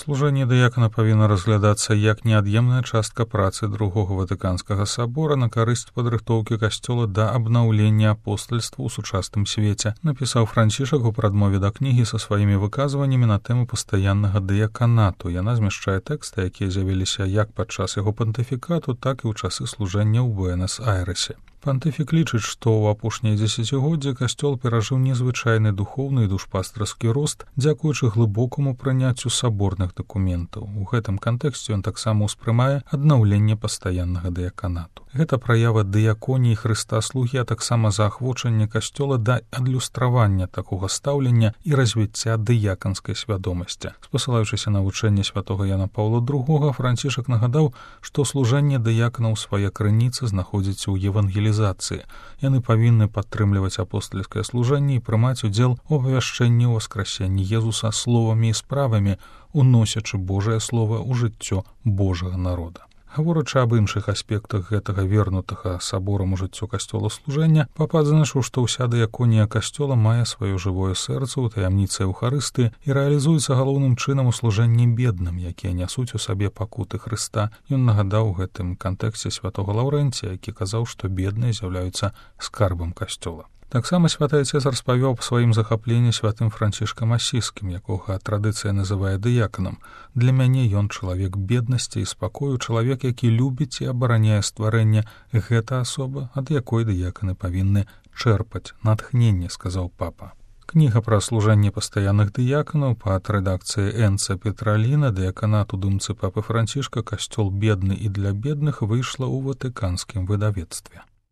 Служэнне дыякана павінна разглядацца як неад'емная частка працы Другога Ватыканскага сабора на карысць падрыхтоўкі касцёла да абнаўлення апостальства ў сучасным свеце, напісаў Францішак у прадмове да кнігі са сваімі выказваннямі на тэму пастаяннага дыяканату. Яна змяшчае тэксты, якія з'явіліся як падчас яго пантыфікату, так і ў часы служэння ў Буэнас-Айрэсе. Пантыфік лічыць, што ў апошнія дзесяцігоддзі касцёл перажыў незвычайны духоўны і душпастарскі рост дзякуючы глыбокаму прыняццю саборных дакументаў. У гэтым кантэксце ён таксама ўспрымае аднаўленне пастаяннага дыяканату. Гэта праява дыяконіі Хрыста слугі, а таксама заахвочанне касцёла да адлюстравання такога стаўлення і развіцця дыяканскай свядомасці. Спасылаючыся на вучэнне святога Яна Паўла II, Францішак нагадаў, што служэнне дыяканаў свае крыніцы знаходзіцца ў евангелізацыі. Яны павінны падтрымліваць апостальскае служэнне і прымаць удзел у абвяшчэнні ў васкрасенні Езуса словамі і справамі, уносячы Божае слова ў жыццё Божага народа. Гаворачы аб іншых аспектах гэтага вернутага саборам у жыццё касцёла служэння, папа адзначыў, што ўся дыяконія касцёла мае сваё жывое сэрца ў таямніцы Еўхарыстыі і рэалізуецца галоўным чынам у служэнні бедным, якія нясуць у сабе пакуты Хрыста. Ён нагадаў у гэтым кантэксце святога Лаўрэнція, які казаў, што бедныя з'яўляюцца скарбам касцёла. Таксама святы Айцец распавёў аб сваім захапленні святым Францішкам Асіскім, якога традыцыя называе дыяканам. Для мяне ён чалавек беднасці і спакою, чалавек, які любіць і абараняе стварэнне. Гэта асоба, ад якой дыяканы павінны чэрпаць натхненне, сказаў папа. Кніга пра служэнне пастаянных дыяканаў пад рэдакцыяй Энца Петраліна «Дыяканат у думцы папы Францішка. Касцёл бедны і для бедных» выйшла ў ватыканскім выдавецтве.